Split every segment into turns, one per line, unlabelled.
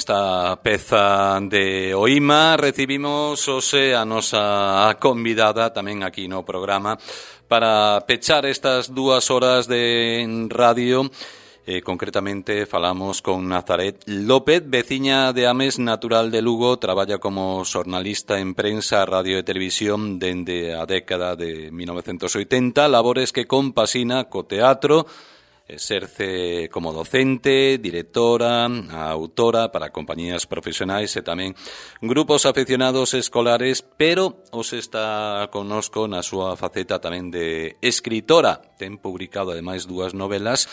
esta peza de Oima recibimos hoxe a nosa convidada tamén aquí no programa para pechar estas 2 horas de radio. Concretamente falamos con Nazaret López, veciña de Ames, natural de Lugo, traballa como xornalista en prensa, radio e televisión dende a década de 1980, labores que compasina co teatro. Exerce como docente, directora, autora para compañías profesionais e tamén grupos afeccionados escolares, pero hoxe está connosco na súa faceta tamén de escritora. Ten publicado ademais 2 novelas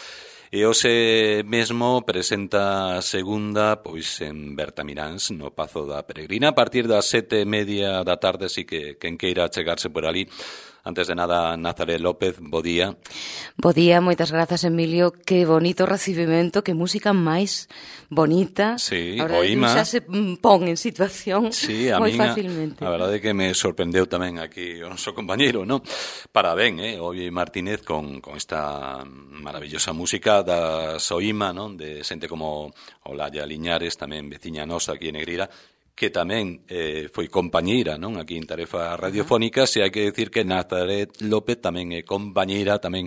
e hoxe mesmo presenta a segunda pois en Bertamiráns, no Pazo da Peregrina, a partir das 7:30 da tarde, así que quen queira chegarse por ali. Antes de nada, Nazaret López, bo día.
Bo día, moitas grazas, Emilio. Que bonito recibimento, que música máis bonita.
Sí,
Oima. Xa se pon en situación moi fácilmente.
A verdade é que me sorprendeu tamén aquí o noso compañeiro, non? Parabén, Ovi Martínez con esta maravillosa música das Oima, non? De xente como Olaya Liñares, tamén veciña nosa aquí en Negreira, que tamén foi compañeira, non, aquí en Tarefa Radiofónica. Se hai que decir que Nazaret López tamén é compañeira tamén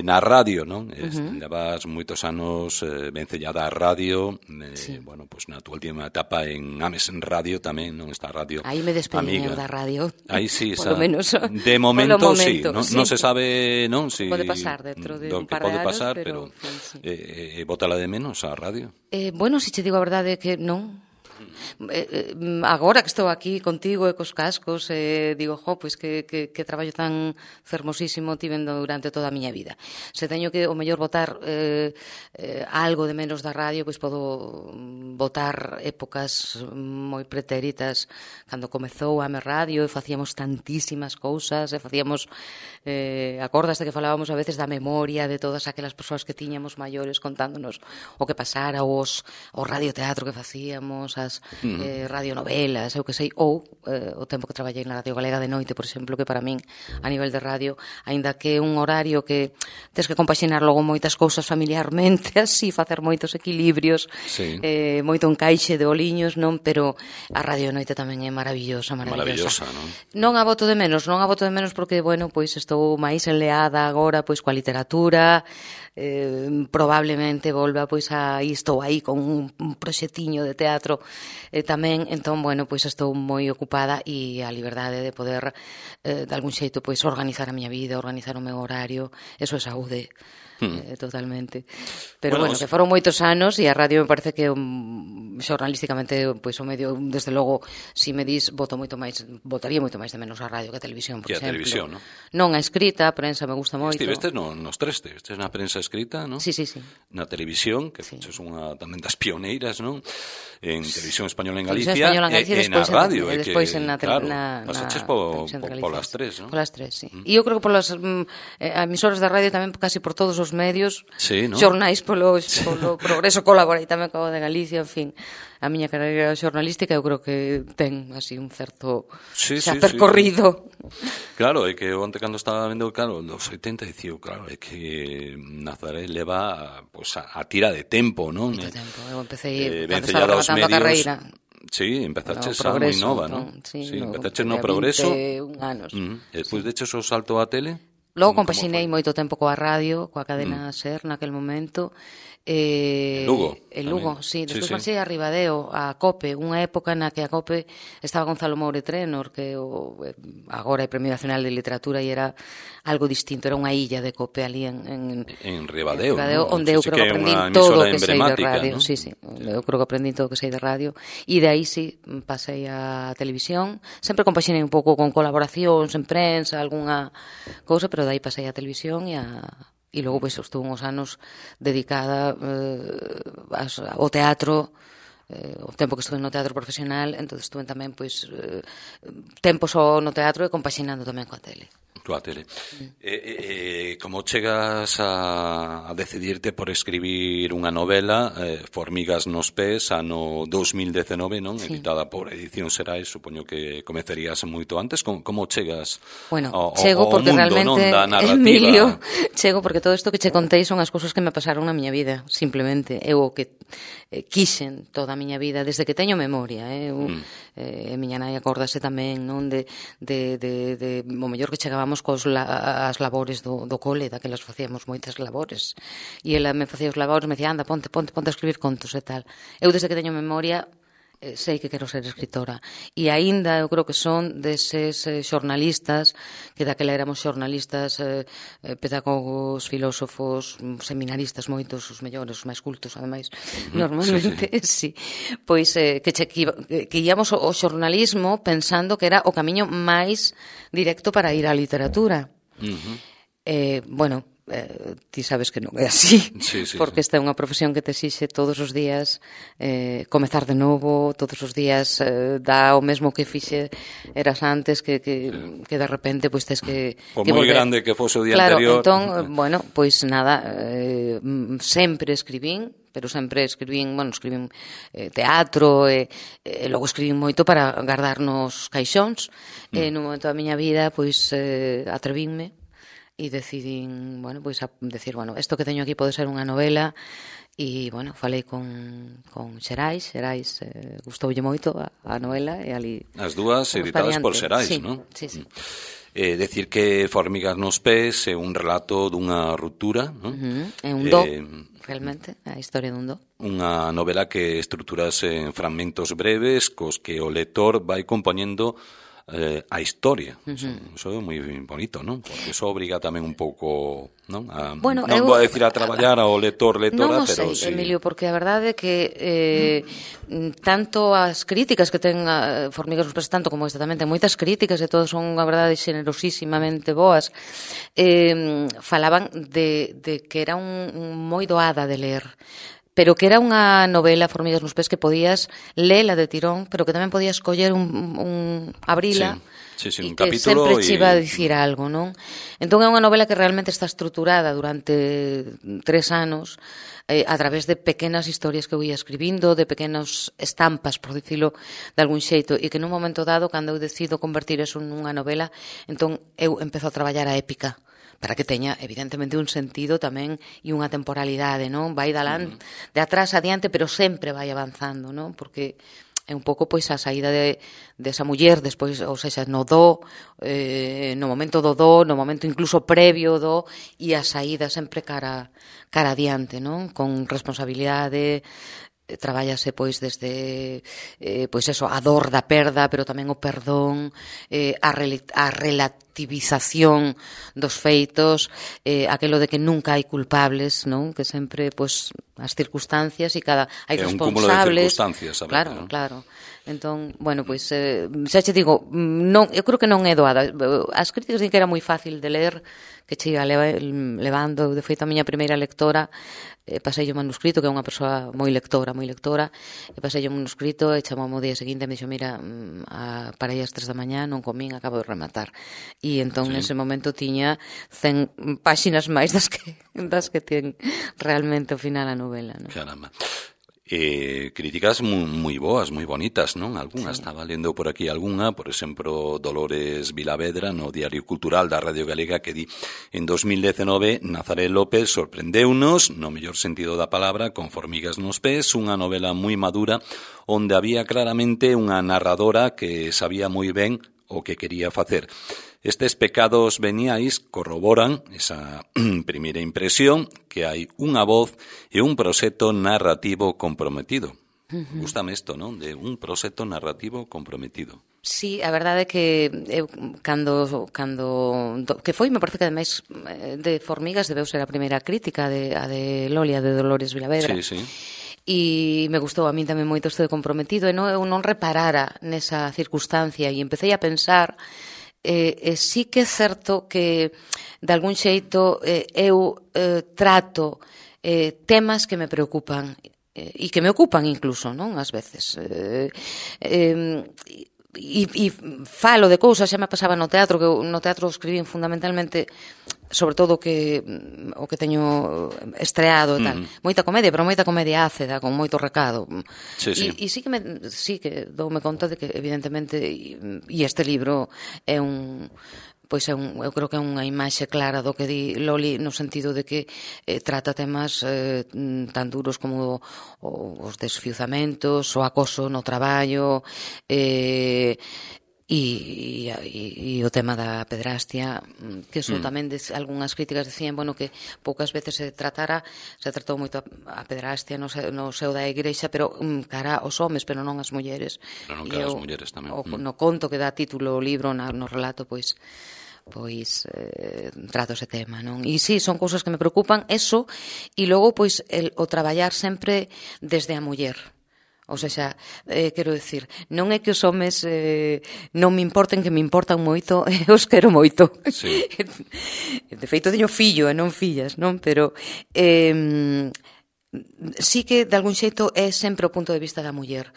na radio, non? Levas moitos anos vencellada a radio,
sí.
Bueno, pues na tua última etapa en Ames en Radio tamén, non, esta radio
aí me despedí da radio.
Aí sí,
por lo menos,
de momento sí, non
sí.
Se sabe, non, si
pode pasar dentro de un par de anos,
pasar,
pero
sí. Bótala de menos a radio.
Bueno, si che digo a verdade que non. Agora que estou aquí contigo e cos cascos, digo, pois que traballo tan fermosísimo tivendo durante toda a miña vida. Se teño que o mellor botar algo de menos da radio, pois podo botar épocas moi pretéritas cando comezou a Ames Radio e facíamos tantísimas cousas e facíamos acordaste que falábamos a veces da memoria de todas aquelas persoas que tiñamos maiores contándonos o que pasara, o radioteatro que facíamos, as radionovelas, eu que sei, ou o tempo que traballei na Radio Galega de noite, por exemplo, que para min, a nivel de radio, aínda que é un horario que tens que compaxinar logo moitas cousas familiarmente, así, facer moitos equilibrios,
sí.
Moito encaixe de oliños, non? Pero a radio de noite tamén é maravillosa.
Non?
Non a boto de menos porque, bueno, pois estou máis enleada agora pois coa literatura, probablemente volva pois estou aí con un proxectiño de teatro tamén, entón, bueno, pois estou moi ocupada e a liberdade de poder de algún xeito pois organizar a miña vida, organizar o meu horario, eso é saúde. Totalmente. Pero bueno, que foron moitos anos e a radio me parece que xornalísticamente pois o medio, desde logo, si me dis, botaría moito máis de menos a radio que a televisión, por exemplo.
Que a televisión, non?
Non a escrita, a prensa me gusta moito.
Estivestes nos tres, estivestes na prensa escrita, non?
Sí.
Na televisión, que
sí.
Sos unha tamén das pioneiras, non? En Televisión Española en Galicia,
e
na radio.
E despois na
pasaches polas tres, non?
Polas tres, sí. E eu creo que polas emisoras da radio tamén casi por todos os medios,
sí, ¿no?
Xornais polo progreso, colaborei tamén co de Galicia, en fin. A miña carreira xornalística eu creo que ten así un certo percorrido.
Sí. Claro, é que onte cando estaba vendo, claro, los 80, dicía, claro, é que Nazaret leva pues, a tira de tempo, non?
Moito tempo, eu empecé cando
estaba
rematando a carreira.
Sí, empezaches moi nova, non?
Sí,
empezaches no Progreso.
21 anos.
E despois deches o salto á tele?
Logo compaxinei moito tempo coa radio, coa cadena SER naquel momento.
Lugo.
En Lugo, sí. Despois marchei a Ribadeo, a COPE, unha época na que a COPE estaba Gonzalo Moure Trenor, que agora é Premio Nacional de Literatura, e era algo distinto, era unha illa de COPE ali en
Ribadeo,
onde eu creo que aprendín todo o que sei de radio, ¿no? Sí, eu creo que aprendín todo o que sei de radio, e de aí sí, pasei a televisión, sempre compaxinei un pouco con colaboracións en prensa, algunha cousa, pero de aí pasei a televisión e logo pois estuve uns anos dedicada ao teatro, o tempo que estuve no teatro profesional, entón estuve tamén pois tempo só no teatro e compaxinando tamén coa tele.
Coa tele. Como chegas a decidirte por escribir unha novela, Formigas nos pés, ano 2019, non? Sí. Editada por Edición Xerais, supoño que comezarías moito antes. Como chegas
chego
ao
porque
mundo,
realmente,
non, da narrativa?
Emilio, chego porque todo isto que che contei son as cousas que me pasaron na miña vida, simplemente. Eu o que quixen toda a miña vida, desde que teño memoria, miña nai acórdase tamén, non, de o mellor que chegábamos as labores do cole, daquelas facíamos moitas labores, e ela me facía os labores, me dicía, anda, ponte a escribir contos e tal. Eu desde que teño memoria sei que quero ser escritora, e aínda eu creo que son deses xornalistas, que daquela éramos xornalistas, pedagogos, filósofos, seminaristas, moitos, os mellores, os máis cultos, ademais, normalmente, sí. Pois que íamos ao xornalismo pensando que era o camiño máis directo para ir á literatura. Bueno, ti sabes que non é así, porque esta é unha profesión que te exixe todos os días comezar de novo, todos os días dá o mesmo que fixe eras antes, que de repente pois tes que
por moi grande que fose o día anterior.
Claro, entón, bueno, pois nada, sempre escribín, pero sempre escribín teatro, e logo escribín moito para guardar nos caixóns. No momento da miña vida, pois atrevínme e decidín, bueno, pois a decir, bueno, isto que teño aquí pode ser unha novela, e, bueno, falei con Xerais, gustoulle moito a novela, e ali...
As dúas editadas por Xerais, non?
Sí.
Decir que Formigas nos pés é un relato dunha ruptura, non?
É un do, realmente, a historia dun do.
Unha novela que estruturas en fragmentos breves cos que o lector vai compoñendo a historia. Eso é moi bonito, non? Porque eso obriga tamén un pouco, non? Non vou a decir a traballar ao lectora, pero
sí. Emilio, porque a verdade é que tanto as críticas que ten Formigas nos pés, tanto como esta tamén ten moitas críticas, e todas son, a verdade, xenerosísimamente boas, falaban de que era moi doada de ler, pero que era unha novela, Formigas nos pés, que podías lela de tirón, pero que tamén podías coller abrila,
un
que
capítulo
sempre che iba a dicir algo, non? Entón é unha novela que realmente está estruturada durante 3 anos, a través de pequenas historias que eu ia escribindo, de pequenas estampas, por dicilo de algún xeito, e que nun momento dado, cando eu decido convertir eso nunha novela, entón eu empezo a traballar a épica, para que teña, evidentemente, un sentido tamén e unha temporalidade, non? Vai de atrás adiante, pero sempre vai avanzando, non? Porque é un pouco, pois, a saída desa muller, despois, ou seja, no no momento do no momento incluso previo do, e a saída sempre cara adiante, non? Con responsabilidade, trabállase pois desde pois eso, a dor da perda, pero tamén o perdón, a relativización dos feitos, aquelo de que nunca hai culpables, non? Que sempre pois as circunstancias e hai responsables. É un cúmulo de
circunstancias, a ver,
claro. Entón, bueno, pois xa che digo, non, eu creo que non é doada. As críticas din que era moi fácil de ler, que che iba levando. De feito, a miña primeira lectora, pasei o manuscrito, que é unha persoa moi lectora, e pasei o manuscrito e chamou o día seguinte e me dixo, mira, para aí as 3 da mañá non comín, acabo de rematar. E entón, nese momento, tiña 100 páxinas máis das que ten realmente ao final a novela, non?
Caramba. Críticas moi boas, moi bonitas, non? Algunhas, estaba lendo por aquí algunha, por exemplo, Dolores Vilavedra no Diario Cultural da Radio Galega, que di: en 2019 Nazaret López sorprendeunos, no mellor sentido da palabra, con Formigas nos pés, unha novela moi madura onde había claramente unha narradora que sabía moi ben o que quería facer. Estes pecados veniais corroboran esa primeira impresión, que hai unha voz e un proxecto narrativo comprometido. Gústame isto, non? De un proxecto narrativo comprometido.
Sí, a verdade é que eu, cando que foi, me parece que ademais de Formigas debeu ser a primeira crítica, a de Lolia, de Dolores Vilavedra.
Sí.
E me gustou a min tamén moito isto de comprometido, e eu non reparara nesa circunstancia, e empecé a pensar sí que é certo que de algún xeito eu trato temas que me preocupan e que me ocupan incluso, non? Ás veces e falo de cousas, xa me pasaba no teatro, que eu no teatro escribín fundamentalmente sobre todo o que teño estreado e tal. Moita comedia, pero moita comedia ácida, con moito recado. E sí que doume conta de que evidentemente e este libro é eu creo que é unha imaxe clara do que di Loli, no sentido de que trata temas tan duros como os desfiuzamentos, o acoso no traballo, e o tema da pedrastia, que iso tamén algunhas críticas decían, bueno, que poucas veces se tratou moito a pedrastia no seo da igrexa, pero cara aos homes, pero non as mulleres.
Pero non cara as mulleres tamén.
No conto que dá título o libro, no relato, pois trato ese tema, non? E sí, son cousas que me preocupan, eso, e logo, pois, o traballar sempre desde a muller. O sea, quero dicir, non é que os homes non me importen, que me importan moito, os quero moito.
Sí.
De feito, teño fillo e non fillas, non? Pero sí que, de algún xeito, é sempre o punto de vista da muller.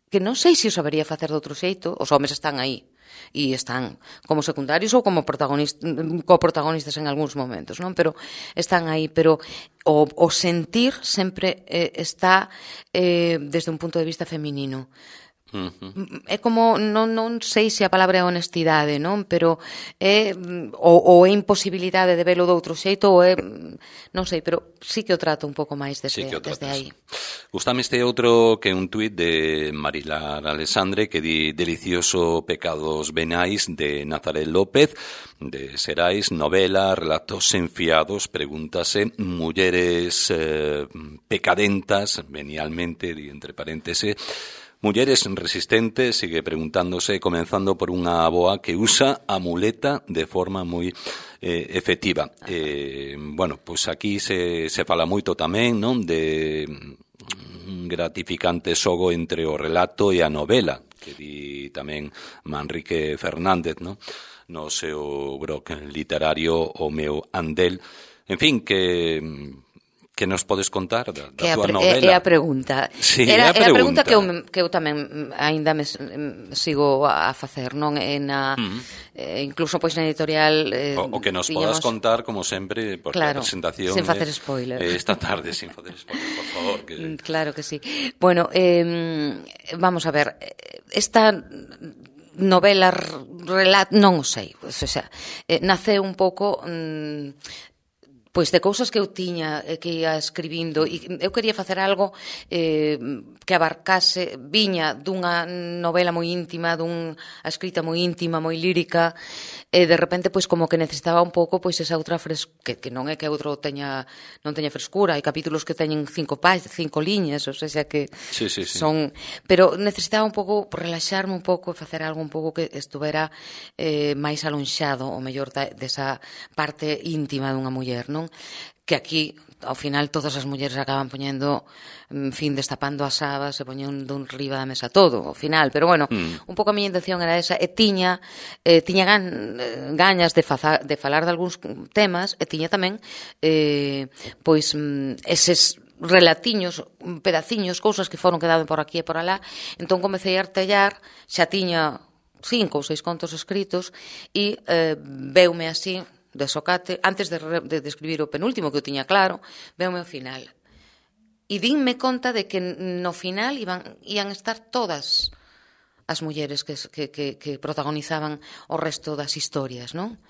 Que non sei se o sabería facer de outro xeito, os homes están aí. E están como secundarios ou como coprotagonistas en algúns momentos, non? Pero están aí, pero o sentir sempre está desde un punto de vista feminino. É como, non sei se a palabra é honestidade, non? Pero é ou é imposibilidade de velo de outro xeito, ou é, non sei, pero sí que o trato un pouco máis desde aí.
Gústame este outro que é un tuit de Marilar Alexandre que di: delicioso pecados venais, de Nazaret López, de Serais, novela, relatos enfiados, pregúntase, mulleres pecadentas, venialmente, di entre paréntesis. Mulleres resistentes, sigue preguntándose, comenzando por unha aboa que usa a muleta de forma moi efectiva. Bueno, pois aquí se fala moito tamén, non, de un gratificante xogo entre o relato e a novela, que di tamén Manrique Fernández, non, no seu blog literario O meu andel. En fin, que nos podes contar da tua novela?
É a pregunta.
Sí,
é a pregunta que eu tamén aínda me sigo a facer, non? Incluso pois na editorial
o que nos podas contar, como sempre, porque a presentación
sen facer spoiler.
Esta tarde, sin facer spoiler, por favor.
Claro que sí. Bueno, vamos a ver, esta novela non o sei, o sea, nace un pouco pois de cousas que eu tiña que ia escribindo, e eu quería facer algo que abarcase, viña dunha novela moi íntima, dunha escrita moi íntima, moi lírica, e de repente pois como que necesitaba un pouco pois esa outra que non é que outro non teña frescura, hai capítulos que teñen 5 liñas, ou sea que son, pero necesitaba un pouco relaxarme un pouco e facer algo un pouco que estuvera máis alonxado, o mellor desa parte íntima dunha muller, non? Que aquí, ao final, todas as mulleres acaban poñendo, en fin, destapando as sabas e poñendo riba da mesa todo, ao final. Pero, bueno, un pouco a miña intención era esa, e tiña gañas de falar de algúns temas, e tiña tamén, pois, eses relatiños, pedaciños, cousas que foron quedando por aquí e por alá. Entón, comecei a artellar, xa tiña 5 ou 6 contos escritos, e veume así, de socate, antes de escribir o penúltimo, que eu tiña claro, veume o final. E dínme conta de que no final ian estar todas as mulleres que protagonizaban o resto das historias, non?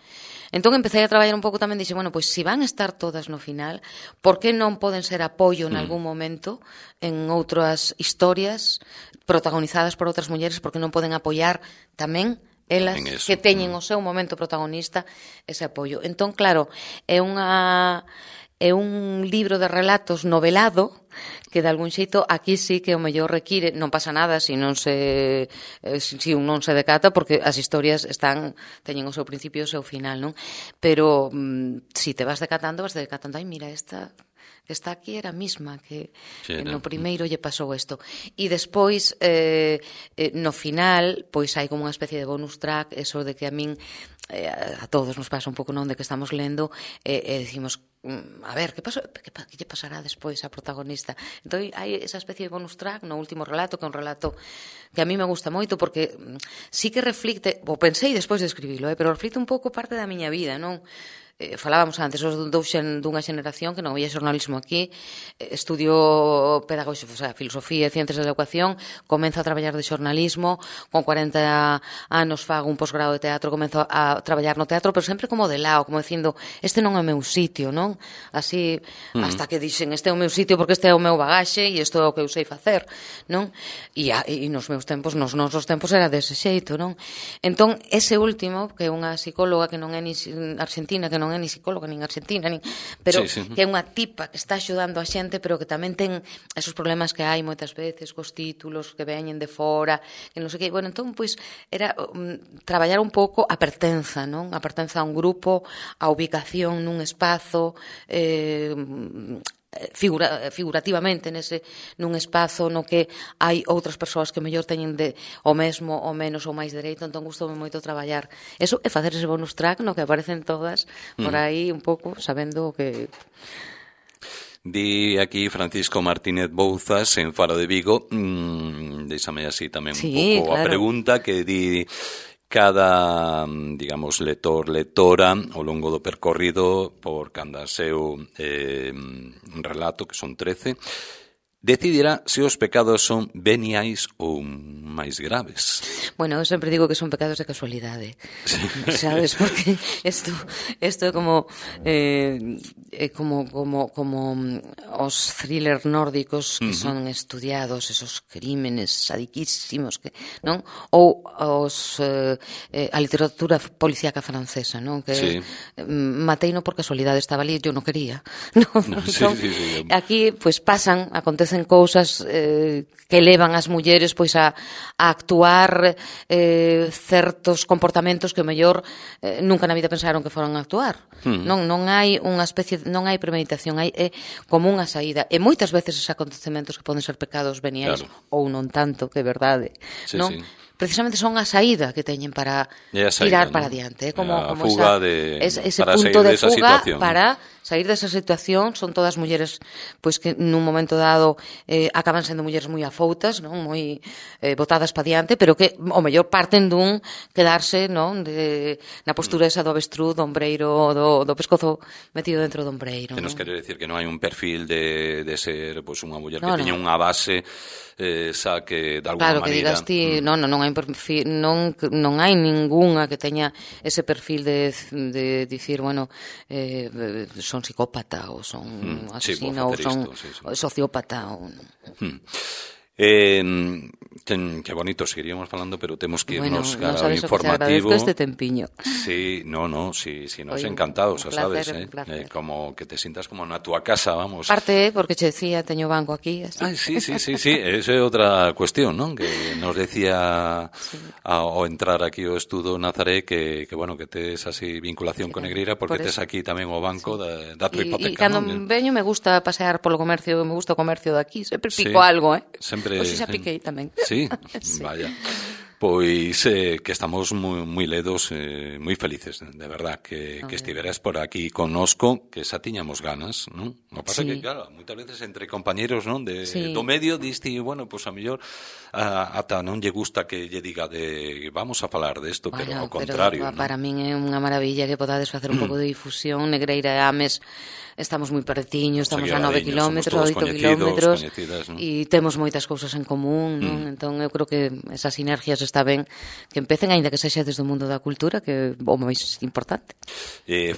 Entón empecé a traballar un pouco tamén, dixe, bueno, pois se van estar todas no final, por que non poden ser apoio en algún momento en outras historias protagonizadas por outras mulleres, porque non poden apoiar tamén elas que teñen o seu momento protagonista, ese apoio. Entón, claro, é un libro de relatos novelado que de algún xeito aquí sí que o mellor require, non pasa nada se un non se decata, porque as historias teñen o seu principio e o seu final, non? Pero se te vas decatando, ai, mira, esta está aquí era a mesma que
Sí,
no primeiro lle pasou isto. E despois, no final, pois hai como unha especie de bonus track, eso de que a min, a todos nos pasa un pouco, non, de que estamos lendo e decimos, a ver, que lle pasará despois á protagonista? Entón, hai esa especie de bonus track no último relato, que é un relato que a mí me gusta moito, porque sí que reflicte, o pensei despois de escribilo, pero reflicte un pouco parte da miña vida, non? Falábamos antes dunha xeneración que non había xornalismo aquí, estudio pedagóxico, o sea, filosofía e ciencias da educación, comenzo a traballar de xornalismo, con 40 anos fago un posgrado de teatro, comenzo a traballar no teatro, pero sempre como de lado, como dicindo, este non é o meu sitio, non? Así, hasta que dixen, este é o meu sitio porque este é o meu bagaxe e isto é o que eu sei facer, non? E nos meus tempos, nos nosos tempos era dese xeito, non? Entón, ese último, que é unha psicóloga que non é ni argentina, que non é ni psicóloga, nin argentina, pero que é unha tipa que está axudando a xente, pero que tamén ten esos problemas que hai moitas veces cos títulos que veñen de fora, que non sei que, bueno, entón, pois, era traballar un pouco a pertenza, non? A pertenza a un grupo, a ubicación nun espazo, figurativamente nun espazo no que hai outras persoas que mellor teñen o mesmo ou menos ou máis dereito, entón gustoume moito traballar eso e facer ese bonus track no que aparecen todas por aí un pouco sabendo o que...
Di aquí Francisco Martínez Bouzas en Faro de Vigo, déixame así tamén un pouco a pregunta que di... Cada, digamos, lector, lectora, ao longo do percorrido por canda seu relato, que son 13, decidirá se os pecados son veniais ou máis graves.
Bueno, eu sempre digo que son pecados de casualidade. Sí. Sabes, porque isto é como os thrillers nórdicos que son estudiados, esos crímenes sadiquísimos, que, non? Ou a literatura policíaca francesa, non? Que sí. Mateino por casualidade, estaba ali, eu non quería. Non?
Sí, entón, sí.
Aquí, pois, acontecen cousas que levan as mulleres pois a actuar certos comportamentos que o mellor nunca na vida pensaron que foran a actuar. Non hai unha especie, non hai premeditación, hai como unha saída. E moitas veces esos acontecementos que poden ser pecados veniais ou non tanto, que é verdade, non? Precisamente son a saída que teñen para tirar para adiante, como
fuga
ese punto de fuga para sair desa situación. Son todas mulleres pois que nun momento dado acaban sendo mulleres moi afoutas, non, moi botadas para adiante, pero que o mellor parten dun quedarse, non, na postura esa do avestruz, do ombreiro, do pescozo metido dentro do ombreiro.
Que nos quere decir que non hai un perfil de ser pois unha muller que teña unha base xa que de alguna maneira...
Claro, que digas ti, non hai perfil, non hai ningunha que teña ese perfil de dicir, bueno, son psicópata ou son asesina ou son sociópata ou...
Que bonito, seguiríamos falando, pero temos que irnos cara ao informativo.
Bueno, este tempiño.
Sí, si nos encantados, xa sabes, como que te sientas como na túa casa, vamos.
Parte, porque che decía, teño banco aquí.
Sí, esa é outra cuestión, non? Que nos decía ao entrar aquí ao estudo Nazaré que bueno, que tes así vinculación con Negreira, porque tes aquí tamén o banco da tua hipoteca.
E cando veño me gusta pasear polo comercio, me gusta o comercio de aquí, sempre pico algo,
Sempre.
Pois xa piquei tamén.
Sí, vaya. Pois que estamos moi ledos, moi felices, de verdad, que estiveras por aquí connosco, que xa tiñamos ganas, non? O pasa que, claro, moitas veces entre compañeros, non, do medio, diste, bueno, pois a mellor ata non lle gusta que lle diga vamos a falar desto, pero ao contrario.
Para min é unha maravilla que podades facer un pouco de difusión. Negreira e Ames estamos moi pertiños, estamos a 9 kilómetros, 8 kilómetros, e temos moitas cousas en común, non? Entón, eu creo que esas sinergias está ben que empecen, aínda que sexa desde o mundo da cultura, que é o máis importante.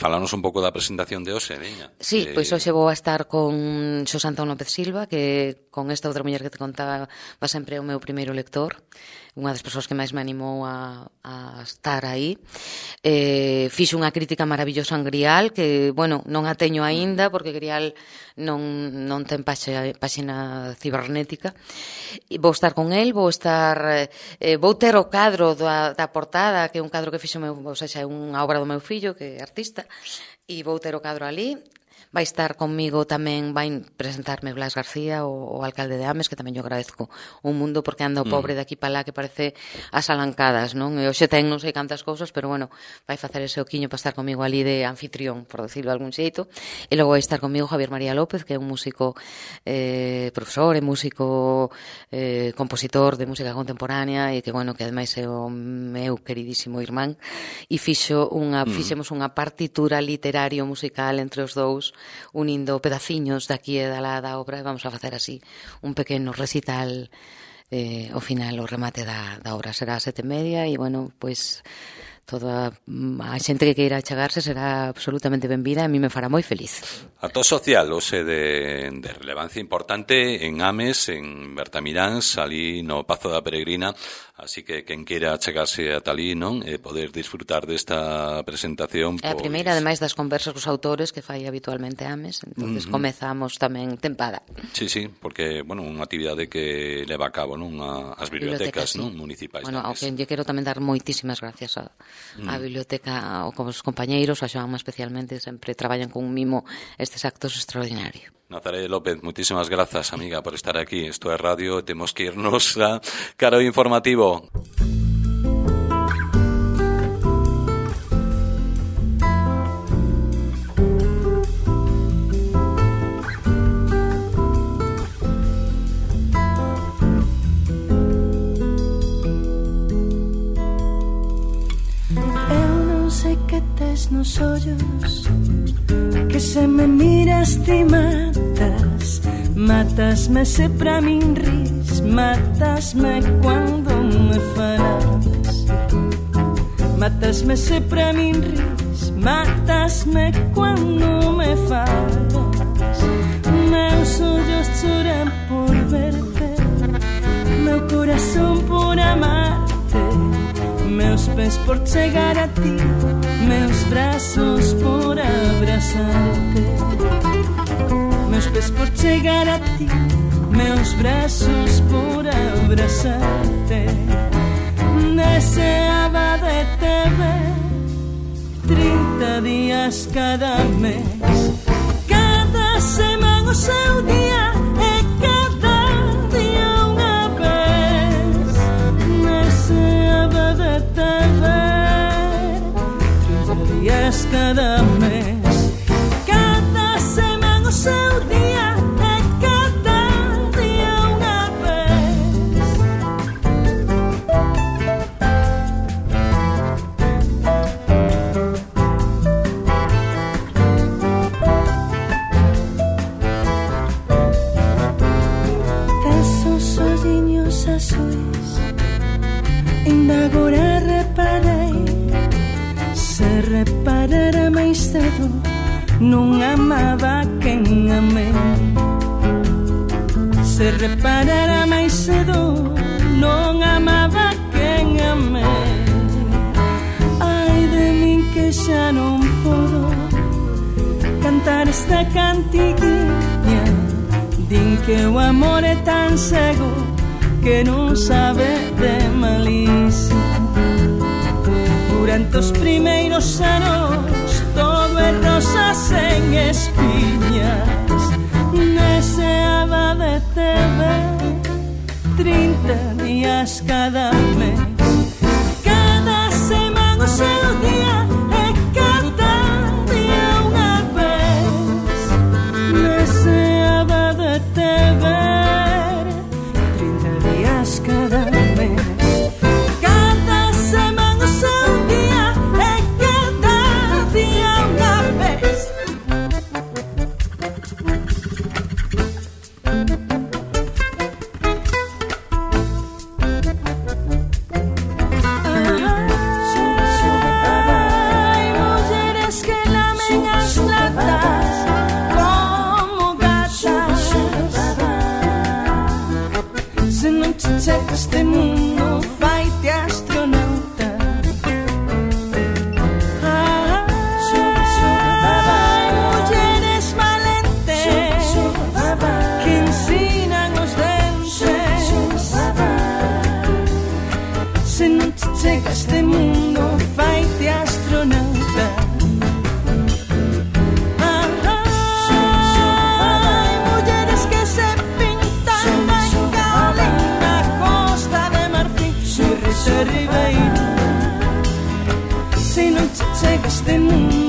Falanos un pouco da presentación de hoxe, veña.
Sí, pois hoxe vou a estar con Xosé Antón López Silva, que con esta outra muller que te contaba va sempre o meu primeiro lector, unha das persoas que máis me animou a estar aí. Fixo unha crítica maravillosa en Grial, que, bueno, non a teño aínda, porque Grial non ten páxina cibernética. Vou estar con el, vou ter o cadro da portada, que é un cadro que fixo meu, ou seja, é unha obra do meu fillo, que é artista, e vou ter o cadro ali. vai estar conmigo tamén, vai presentarme Blas García, o alcalde de Ames, que tamén yo agradezco un mundo, porque anda o pobre de aquí para lá que parece as alancadas, non? E hoxe ten non sei cantas cousas, pero bueno, vai facer ese oquiño para estar comigo ali de anfitrión, por decirlo de algún xeito. E logo vai estar comigo Javier María López, que é un músico profesor, é músico compositor de música contemporánea, e que, bueno, que ademais é o meu queridísimo irmán, e fixemos unha partitura literario musical entre os dous, unindo pedaciños daqui e da lá da obra, e vamos a facer así un pequeno recital ao final, o remate da obra será 7:30, e bueno, pois toda a xente que queira achegarse será absolutamente benvida, e a mí me fará moi feliz.
Acto social, ose de relevancia importante en Ames, en Bertamiráns, ali no Pazo da Peregrina, así que quen queira achegarse ata ali, non? E poder disfrutar desta presentación.
É a primeira, ademais das conversas cos autores que fai habitualmente Ames, entonces comezamos tamén tempada.
Sí, porque, bueno, unha actividade que leva a cabo, non? As bibliotecas, non? Municipais.
Bueno, ao que lle quero tamén dar moitísimas gracias a biblioteca, ou como os compañeiros, a Xoanma especialmente, sempre traballan con un mimo estes actos extraordinarios.
Nazaré López, muchísimas gracias, amiga, por estar aquí. Esto es radio, tenemos que irnos a Caro Informativo.
Nos ollos que se me miras ti matasme se pra min ris, matasme cuando me falas, matasme se pra min ris, matasme cuando me falas. Meus ollos choran por verte, meu corazón por amarte, meus pés por chegar a ti, meus brazos por abrazarte, meus pés por chegar a ti, meus brazos por abrazarte. Deseaba de te ver 30 días cada mes, cada semana o seu día e cada día unha vez. Deseaba de te ver 30 días cada mes, cada semana o seu día e cada día unha vez. Tesos olliños azuis, ainda agora reparei, se reparara máis cedo non amaba quen amei. Se reparara máis cedo non amaba quen amei. Ai de min que xa non podo cantar esta cantiguinha, din que o amor é tan cego que non sabe de malicia. Durante os primeiros anos todo é rosas en espiñas. Deseaba de te ver 30 días cada mes, cada semana o seu día e cada día unha vez. Deseaba de te ver 30 días cada mes, cada semana o seu día e cada día unha vez. Ai, mulleres que lamen as latas como gatas, se non te chega este mundo faite astronauta. Ai, mulleres valentes que ensinan os dentes, se non te chega este mundo faite astronauta. ribeiro. Se non che chega este mundo